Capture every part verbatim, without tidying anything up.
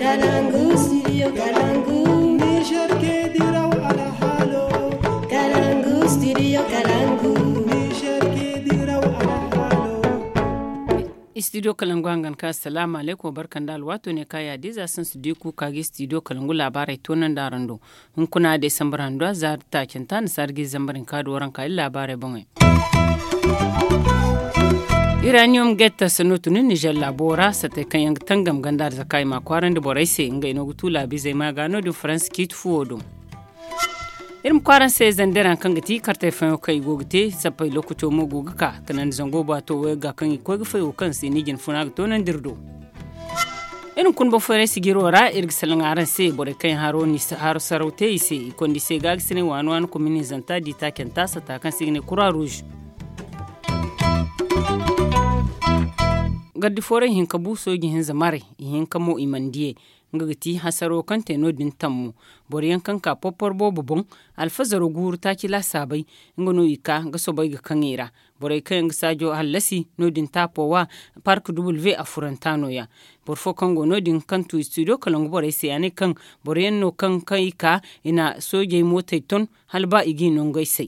Kalangu, studio Kalangu. Niger ke diraw alhalo. Kalangu, studio Kalangu. Niger ke diraw alhalo. Studio Kalangu hangan ka, assalamu alaikum, barkan da alwato ne ka ya diza sun su di ku ka gi studio Kalangu labarai tonan da rando. Hunkuna desambar handu za taacanta na sargi zambarin ka do waranka iri labarai boŋey. Uranium gate sanno tun niger labo ra satay kaŋ yaŋ ga tangam ganda arzaka i ma kwaarandi borey se ngey no ga tu laabizey ma ga no- din faransa ciiti fuwo do. Iri ma kwaara se zandera kaŋ ga ti kartey fayaŋo kaŋ i go ga te sappey lokaco mo go ga ka kanandi zango baato wayga kaŋ i koy ga fay wo kaŋ se ni jin funa ga toonandi iri do. Iri hunkuna boŋ fooyaŋ sijiro ra iri ga salaŋ araŋ se borey kaŋ yaŋ haro saraw te i se i konda i se gaagasinay waani waani komini zanta di taacanta sata kaŋ se i ga ne kura ruuz. Gardi fooray hinka bu sooji hinza maray i hinka mo i mana diyey. Nga ga ti hasaro kaŋ te no- din tammo boro yaŋ kaŋ ka porpor boobo boŋ alfazaro guuru taaci laasaabey. Nga no i ka ga soobay ga kaŋ i ra. Borey kaŋ yaŋ ga saajo hallasi no- din taapo wa park w a furanta no- ya. Boro fo kaŋ go no- din kaŋ tu studio kalangu borey se a ne kaŋ boro yaŋ no kaŋ i ka i na soojey mootey ton hala ba i ga i nongey say.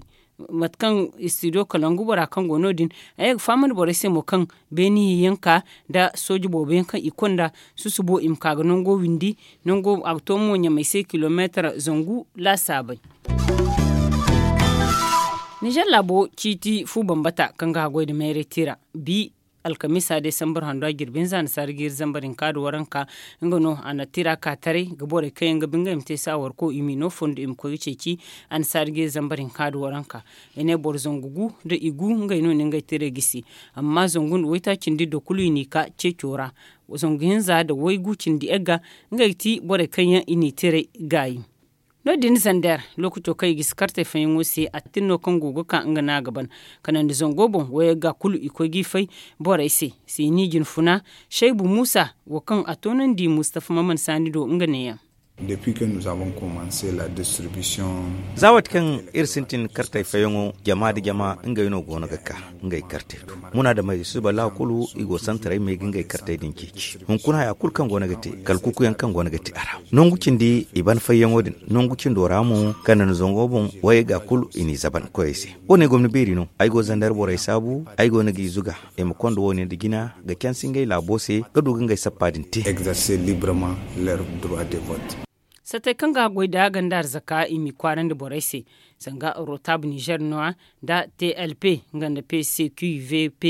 Mate kaŋ studio kalangu bora kaŋ go no- din a ye ga fahamandi borey se mo kaŋ beeni hinyanka nda sooji boobo yaŋ kaŋ i konda susubo i ma ka ga nango windi. Nango a ga to mo ɲamay se kilomeetar zangu laasaabey. Nizer laabo ciiti fu bambata kaŋ ga haggoy nda mayray tira bi alkamiisa desambar hando a jirbi hinza annasaara jiiri zambar hinka nda waranka. Nga no a na tira ka taray ga borey kaŋ yaŋ ga ba ngey ma te saawarko i m'i no fondo i ma koy ga ceeci. Annasaara jiiri zambar hinka nda waranka i ne boro zangu gu nda i gu ngey no na ngey tiray gisi. Amma zangu nda waytaaci nda iddo kulu i n'i ka ceeco ra. Zangu hinza nda waygu cindi yagga ngey ga ti borey kaŋ yaŋ i n'i tiray gaayi. No- din zander lookaco kaŋ i gisi kartey fayaŋo se a tin no kaŋ go ga ka nga no a ga ban. Kanandi zango boŋ wayagga kulu i koy g'i fay borey se. Siini jinfuna shaybu muusa wo kaŋ a toonandi mustafa maman saani do nga neeyaŋ. Za waati kaŋ iri sintin kartey fayaŋo jama nda jama ngey no go no ga ka ngey kartey do. Munaadamey suba laakulu i go santaray me ga ngey kartey din ceeci hunkuna haya kulu kaŋ go no ga te kala kukuyaŋ kaŋ go no ga te a ra. Nangu cindi i ban fayyaŋo din nangu cindo ra mo kala nda zango boŋ wayey ga kulu i n'i zaban koyey se. Wo- ne gomni beeri no ay go zandar borey saabu ay go no g'i zuga i ma konda wo- ne nda jina ga cansi ngey laabo se ga du ga ngey sappa din te. Satey kaŋ ga goy nda ganda arzaka i m'i kwaarandi borey se. Sanga rotab nizer no- ya nda tlp nga nda pcqvp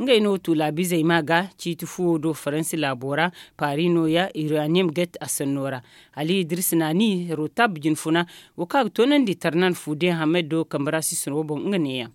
ngey no tuulaabizey ma ga ciiti fuwo do faransi laabo ra. Paari no- ya iraniyem get a sanno ra. Ali idris naani rotab jinfuna wo kaŋ a ga toonandi tarnan fuude hamed do kambe ra sisino boŋ nga neeyaŋ.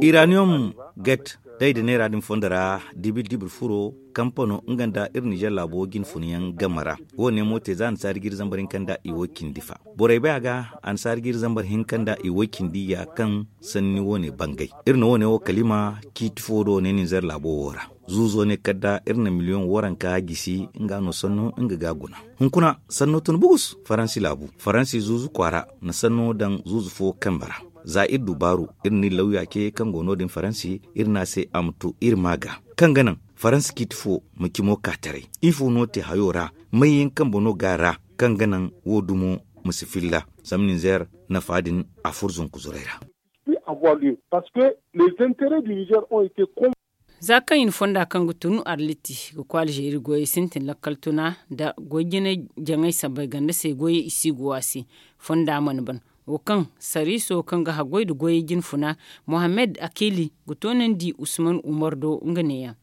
Iraniyom get day da neera din fondo ra dibil dibil furo kampano nga nda iri nizer laabo jinfuna yaŋ game ra. Wo- ne mo te za annasaari jiiri zambar hinka nda i wo- cindi fa borey bay a ga. Annasaari jiiri zambar hinka nda i wo- cindi ya kaŋ sanni wo- ne bangay iri na wo- ne wo kalima ciiti fo do ne nizer laabo wo ra. Zuuzo ne kala da iri na miliyoŋ waranka gisi nga no sanno nga ga guna. Hunkuna sanno tun bugus faransi laabu faransi zuuzu kwaara na sanno daŋ zuuzu fo kambe ra. Za iri du baaru iri na iri lawya ce kaŋ go no- din faransi iri ne a se a ma tu iri ma ga kaŋ ga naŋ faransi ciiti fo ma cimo ka taray. Ifo no te hayo ra? May yaŋ kambe no ga a ra kaŋ ga naŋ wo- dumo ma si filla zama ninzeer nafa din a furo zunku zuray ra. Za kaŋ i na fonda kaŋ ga tun arliti ga koy alzeeri goyey sintin lakkal tuna nda goy jinay jaŋay sabbay ganda se goyey i si go a se. Fonda mana ban wo kaŋ sariiso kaŋ ga haggoy nda goyey jinfuna mohammed akili ga toonandi usman umar do nga neeyaŋ.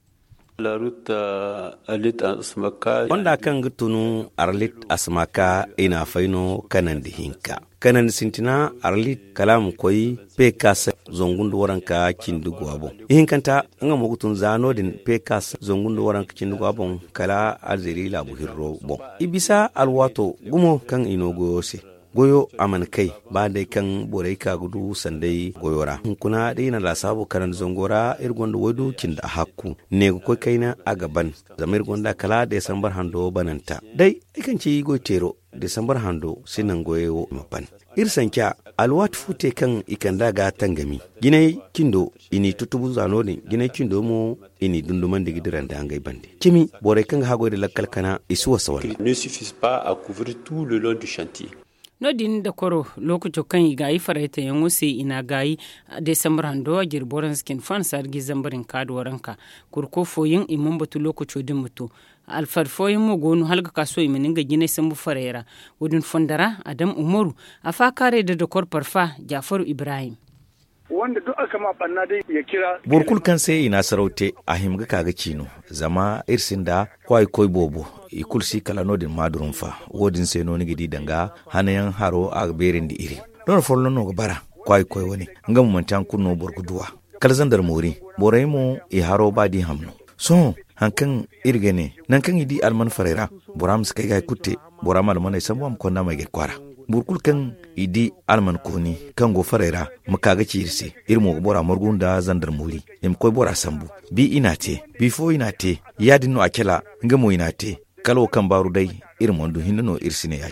Fonda kaŋ ga tun arlit asmaka i na a fay no kanandi hinka kanandi sintina arlit kala a ma koy pekas zangu nda waranka cindi go a boŋ. Ihinkanta nga mo ga tun za no- din pekas zangu nda waranka cindi go a boŋ kala alzeeri laabu hirro boŋ. I bisa alwaato gumo kaŋ i no goyo se. Goyo a mana kay ba day kaŋ borey ka ga du sanday goyo ra. Hunkuna da i na laasaabu karandi zango ra, iri gonda waydu cindi a hakku. Ne ga koy kayna a ga ban. Zama iri gonda kala desambar hando bananta day, ay kaŋ ci goy teero, desambar hando si naŋ goyey wo i ma ban. Iri sanca alwaati fo te kaŋ i kand'a ga tangami. Jinay cindo i n'i tutubu za no- din, jinay cindo mo i n'i dundumandi ga dira nda ngey bande. Cimi, borey kaŋ ga haggoy nda lakkal kana i si wasa walla? Ne suffisent pas à couvrir tout le long du chantier. No- din dakoro, lookaco kaŋ i gaayi faraytayaŋo se i n'a gaayi, desambar hando a jiri boranza cindi fo a na saari ga i zambar hinka da waranka. Kurko fooyaŋ i mana batu lookaco din ma to. Alfar fooyaŋ mo go no hala ga ka sohõ i mana ngey jinay sambu farey ra. Wo- din fondo ra, adam umaru, a faakaaray nda dokor parfa, jaafaru ibrahim. Boro kulu kaŋ se i na asaraw te, a hima ga ka ga ci no. Zama iri sinda kwaayi koy boobo, i kulu si kala no- din maadurunfa. Wo- din se no ni ga di danga hanayaŋ haro a ga beerandi iri. Doona folloŋ no ga bara kwaayi koy wane, nga mo manti hari kulu no boro ga duw'a. Kala zandar moori, borey mo i haro ba da i ham no. Sohõ, hari kaŋ iri ga ne, nangu kaŋ i di alman farey ra, bora ma si kay ga hari kulu te. Bora ma almaney sambu a ma konda ma ay ga ay kwaara. Boro kulu kaŋ i di alman kooni kaŋ go farey ra, ma ka ga ci iri se. Iri mo ga bora margu nda zandar moori, i ma koy bora sambu. Bi i n'a te, bi fo i n'a te, ya- din no a cala. Nga mo i n'a te. Kala wo kaŋ baaru day, iri mana du hinne no iri si ne ya-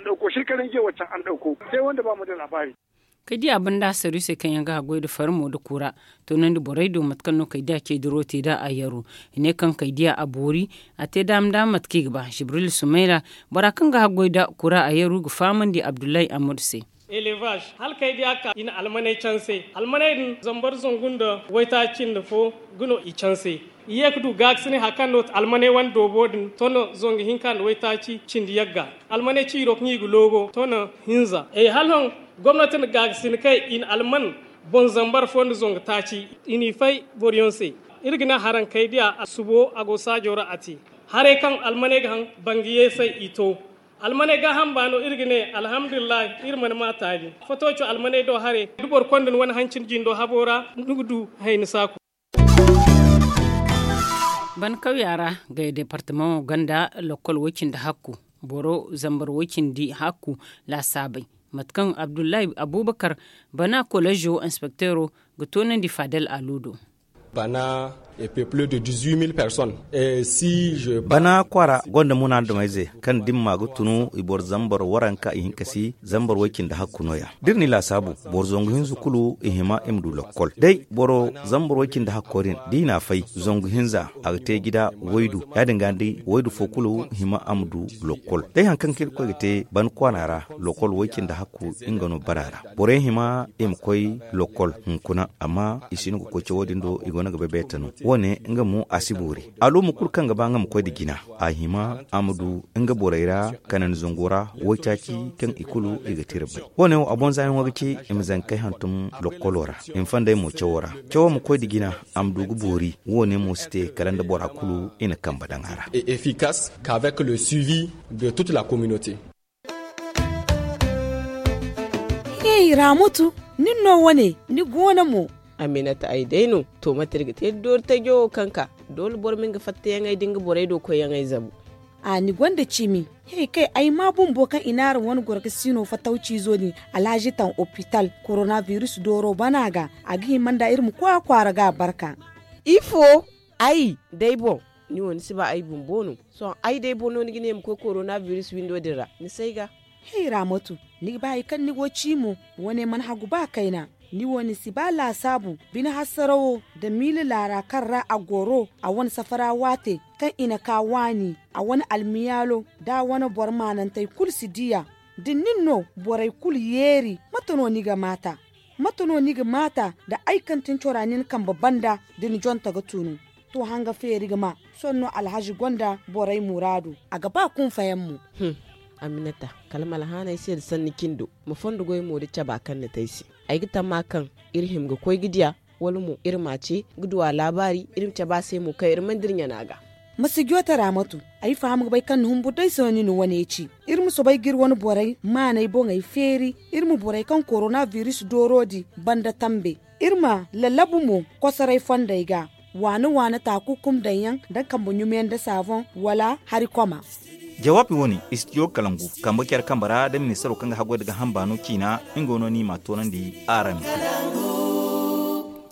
Kaydiya banda saru se kaŋ yaŋ ga haggoy nda farmo nda kura, toonandi borey do mate kaŋ no kaydiya ce diro te nda a yaru. I ne kaŋ kaydiya a boori, a te daama daama mate kaŋ i ga ba. Jibril sumayra, bora kaŋ ga haggoy nda kura a yaru ga fahamandi abdullahi amadu se. Elevaz, hala kaydiya ka i na almaney canse. Almaney din zambar zangu nda waytaaci nda fo ga no i canse. I ye ga du gaakasinay hari kaŋ no almaney wane doobo din tono zangu hinka nda waytaaci cindi yagga. Almaney ciiro kaŋ i ga loogo tono hinza. Hala hõ, gomnati na gaakasin kay i na alman boŋ zambar fo nda zangu taaci. I n'i fay boroyaŋ se. Iri ga ne haraŋ kay diya a subo a go saajo ra a te. Haray kaŋ almaney ga haŋ bangiyeesay i to. Almaney gaaham baano iri ga ne alhamdulillahi, iri mana ma taali. Fotooco almaney do haray da boro konda ni wane hancin jindo habo ra, ni ga du hayni saaku. Ban kawya ra, gaya departamaŋo gonda lokol way-cindi hakku, boro zambar way-cindi hakku laasaabey. Mate kaŋ abdullahi abubakar, bana kolejo inspekteero ga toonandi fadel alu do. Bana, e peuple de dix-huit mille personnes. Bana kwaara gonda munaadamayze kaŋ dimma ga tunu i boro zambar waranka i hinka si zambar way-cindi hakku nooya. Da iri n'i laasaabu, boro zangu hinza kulu i hima i ma du lokkol. Day boro zambar way-cindi hakko din, da i n'a fay zangu hinza, a ga te jida waydu. Ya- din ga ni di waydu fo kulu hima a ma du lokkol. Day hari kaŋ kaŋ irkoy ga te ban kwaana ra, lokkol way-cindi hakku nga no bara ra. Borey hima i ma koy lokkol hunkuna, amma i si no ga koy cawo din do, i go no ga bay beeta no. Wo- ne nga mo a si boori. Aluuma kulu kaŋ ga ba nga ma koy nda jina, a hima a ma du nga borey ra kanandi zango ra waytaaci kaŋ i kulu i ga tira bay. Wo- ne wo a boŋ zaayaŋo ga ci i ma zankey hantum lokkolo ra, i ma fandey mo cawo ra. Cawo ma koy nda jina, a ma du ga boori. Wo- ne mo si te kala nda bora kulu i na kambe daŋ a ra. Efficace qu'avec le suivi de toute la communauté. Hey, Ramatu, nin no wane, ni goono mo? Aminata, ay day no. To, mate iri ga te da doori tajo wo kaŋ ka? Doole boro ma nga fattayaŋey da nga borey do koyyaŋey zabu. A, ni gonda cimi. Hey, kay, ay ma bumbo kaŋ i naara wane goro ga sino fattawciizo din, Alhaji taŋ opital, coronavirus dooro bana ga, a ga hima nda iri ma koy a kwaara ga barka. Ifo? Ay, day boŋ, ni wo ni si ba ay bumbo no. Sohõ ay day boŋ no ni ga ne ma koy coronavirus windo din ra, ni s'ay ga. Hey, Ramatu, ni ga ba hari kaŋ ni go ci mo, wane mana hagu ba kayna. Ni wo ni si ba laasaabu, bine hasarawo nda miila laara kaŋ ra a goro, a wane safara waate kaŋ i na ka waani, a wane almiyaalo nda a wane boro maanantey kulu si diya. Da nin no borey kulu yeeri, mate no ni ga maata? Mate no ni ga maata nda ay kaŋ tin cora nin kambe banda da ni jonta ga tunu? To, hanga feeri ga ma, sohõ no Alhaji gonda borey muraadu, a ga ba kunfayaŋ mo. Aminata, kala ma alhaanay se nda sanni cindo, ma fondo goy mo da caba kaŋ ni te ay se. Ay ga tamma kaŋ iri hima ga koy ga diya, wala mo iri ma a ce ga du a laabaari, iri ma cabe a se mo kaŋ iri mana dira ɲana ga. Ma si joote Ramatu, ay faham ga bay kaŋ ni humburu day se no ni na wane ci. Iri ma soobay ga iri wane borey maaney boŋey feeri, iri ma borey kaŋ coronavirus dooro din banda tambe. Iri ma lallabu mo kosoray fondey ga, waani-waani taakukum daŋyaŋ nda kambe ɲumeyaŋ nda saafoŋ wala hari koma. Jawaabi wo-ne, istidiyo kalangu kambe care kambe ra da ministaro kaŋ ga haggoy nda gaaham baano ciina. Nga no no i m'a toonandi araŋ.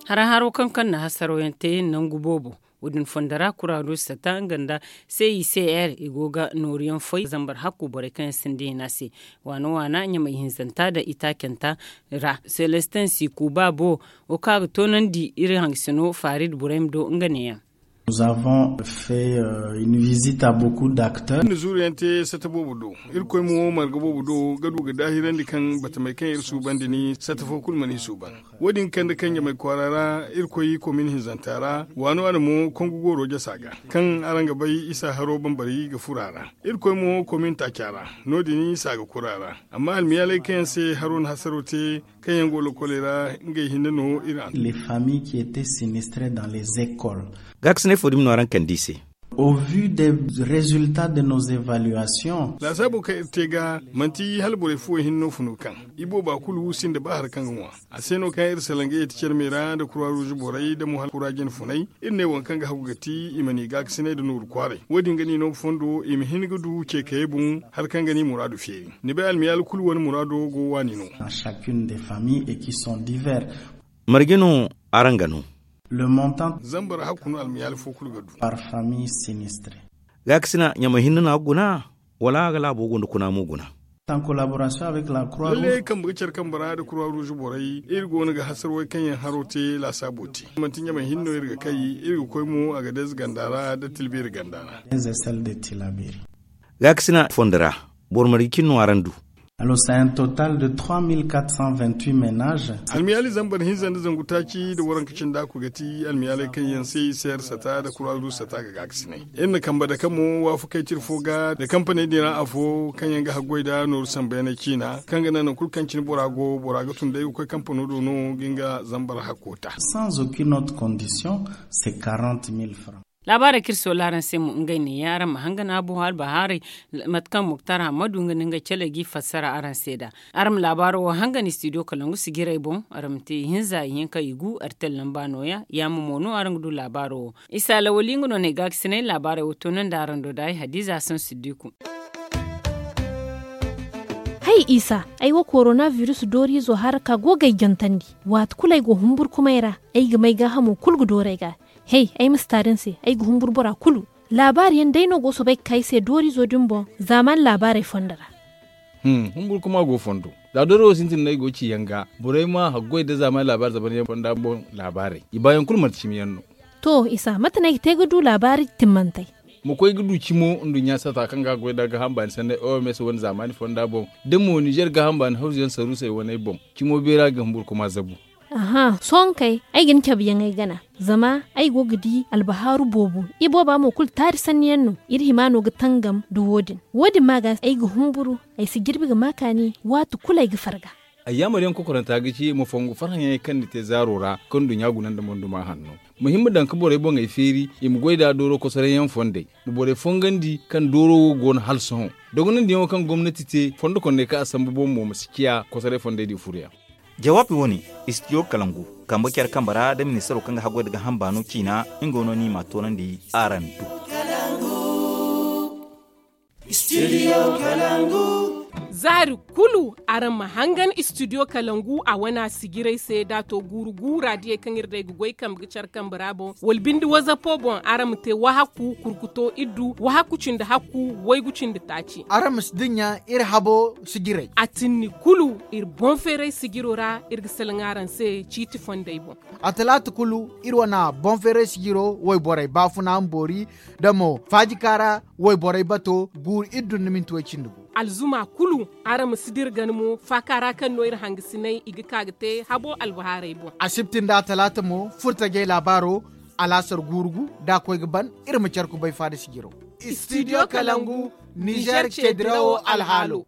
Hara haro kaŋ kaŋ na hasarayaŋ te nangu boobo, wo- din fondo ra kuraru sata nga nda c i c r i go ga nooruyaŋ foy zambar hakku borey kaŋ yaŋ sinda hina se. Waana waana ɲamay hinzanta nda itaacanta ra selestin si kuuba bo wo kaŋ a ga toonandi iri hangasino farid burayma do nga neeyaŋ. Nous avons fait une visite à beaucoup d'acteurs. Iri na zuuriyante sata boobo do. Irkoy mo marga boobo do ga du ga daahirandi kaŋ batamey kaŋ iri suubandi ni sata fo kulu mana i suuban. Wo- din kande kaŋ ɲamay kwaara ra irkoy komin hinzanta ra waano a na mo kongu gooro jasa ga kaŋ araŋ ga bay isa haro bambari ga fura ra. Irkoy mo komin taaca ra no- din isa ga kura ra. Amma almiyaaley kaŋ yaŋ se haro na hasaro te kaŋ yaŋ go lokoley ra ngey hinne no iri an. Les familles qui étaient sinistrées dans les écoles. Gaakasinay fo dumi no araŋ kande i se. Au vu des résultats de nos évaluations. Laasaabo kaŋ iri te ga manti hala borey fuwo hinne no funo kaŋ i booba kulu sinda ba hari kaŋ ga ŋwa. A se no kaŋ iri salaŋ ga yeeti care me ra nda kura ruuzu borey da mo hala kura jine funay. Iri ne waŋ kaŋ ga hagu ga ti i ma ni gaakasinay nda nooru kwaaray wo- din ga ni no ga fondo i ma hin ga du ceekayey boŋ. Hari kaŋ ga ni muraadu feeri ni bay almiyaali kulu wane muraado go waani no. Marje no araŋ ga no? Le montant zambar hakku no almiyaali fo kulu ga du. Par famille sinistre. Gaakasina ɲamay hinne no a ga guna wala a ga laabo gunda kuna mo guna? Lalle kambe ga care kambe ra nda kura ruuzu borey iri go no ga hasarwey kaŋ yaŋ haro te laasaabo te manti ɲamay hinne no iri ga kay iri ga koy mo a ga deeze ganda ra nda tilbeeri ganda ra. Gaakasina fondo ra boro marje cine no araŋ du? Alors c'est un total de trois mille quatre cent vingt-huit ménages. Almiyaali zambar hinza nda zangu taaci nda waranka cindi a ku ga ti almiyaaley kaŋ yaŋ se i se iri sata nda kuraru sata ga gaakasinay. Iri na kambe dake mo waafakey tira fo ga nda kampaney din ra afo kaŋ yaŋ ga haggoy nda nooru sambu yaŋ ciina kaŋ ga naŋ nangu kulu kaŋ cine bora go bora ga tun day ga koy kampano do no ga nga zambar hakko ta. Sans aucune autre condition, c'est quarante mille francs. Laabaarey kaŋ iri soola araŋ se mo ngey neeya araŋ ma hangan a boŋ albahaaray. Mate kaŋ muktar hammadu nga no ngey cale g'i fassara araŋ se nd'a. Araŋ ma laabaaro wo hangan istidiyo kalangu sijirey boŋ. Araŋ ma te ihinza ihinka igu artel lamba nooya yaama mo no araŋ ga du laabaaro wo. Isa lawali nga no na ay gaakasinay laabaarey wo toonandi araŋ do da ay hadiza hasan siddiku. Hay isa, ay wo korona virus dooriizo hara ka go ga ay jantandi. Waati kulu ay go humburkumay ra, ay ga may gaahamo kulu ga dooru ay ga. Hey, ay ma si taari ni se, ay ga humburu bora kulu. Laabaari yaŋ day no go soobay ga ka ay se dooriizo din boŋ zaamaani laabaarey fondo ra. Humburu kuma go fondo. Za dooro wo sintin no ay go ga ci yaŋ ga borey ma haggoy nda zaamaani laabaari zaban yaŋ fonda boŋ laabaarey i baayaŋ kulu manti cimi yaŋ no. To isa mate no ay ga te ga du laabaari timmantey? Ma koy ga du cimo nduɲɲa sata kaŋ ga haggoy nda gaaham baani sanney oms wane zaamaani fonda boŋ da mo nizer gaaham baani hawzu yaŋ saruusey waney boŋ. Cimo beera ga humburu kuma zabu. Aha sohõ kay, ay ga ni cabe yaŋ ay gana. Zama ay go ga di albahaaru boobo. Ibooba mo kulu taari sanni yaŋ no. Iri hima no ga tangam nda wo- din. Wo- din ma ga ay ga humburu. Ay si jirbi ga ma kaani waati kulu ay ga farga. Ayyaamar yaŋ kokoranta ga ci ma fongu farhãyaŋey kaŋ ni te zaaro ra kaŋ nduɲɲa guna nda monduma hanno. Ma hima daŋ ga borey boŋey feeri i ma goy nd'a dooro kosoray yaŋ fondey. Ma borey fongandi kaŋ dooro wo go no hala sohõ. Dogonandiyaŋo kaŋ gomnati te fondo kondey kaŋ a sambu boŋ mo ma si ciya kosoray fondey di furuyaŋ. Jawaabi wo- ne, istidiyo kalangu kambe care kambe ra nda ministaro kaŋ ga haggoy nda gaaham baano ciina. Nga no no i m'a toonandi araŋ do. Zaari kulu araŋ ma hangan istidiyo kalangu a wana sijirey se da a to guuru guura diyey kaŋ iri day ga goy kambe ga care kambe ra boŋ wala binde wazapo boŋ araŋ ma te wahakku kurkuto iddu wahakku cindi hakku waygu cindi taaci. Araŋ ma si dinya iri habo sijirey. A tinni kulu iri boŋ feeray sijiro ra iri ga salaŋ araŋ se ciiti fondey boŋ. A talaata kulu iri wana boŋ feeray sijiro wayborey baafuna ma boori da mo faajika ra wayborey bato guuru iddu nda minti way cindi gu. Alzuma kulu araŋ ma si dira gana mo faaka ra kaŋ no iri hangasinay i ga ka ga te habo albahaarey boŋ. Asibti nda talaata mo furtajey laabaaro alaasar guuru gu da a koy ga ban. Iri ma care kubay faada sijiro. Istidiyo kalangu nizer ceedirawo alhaalo.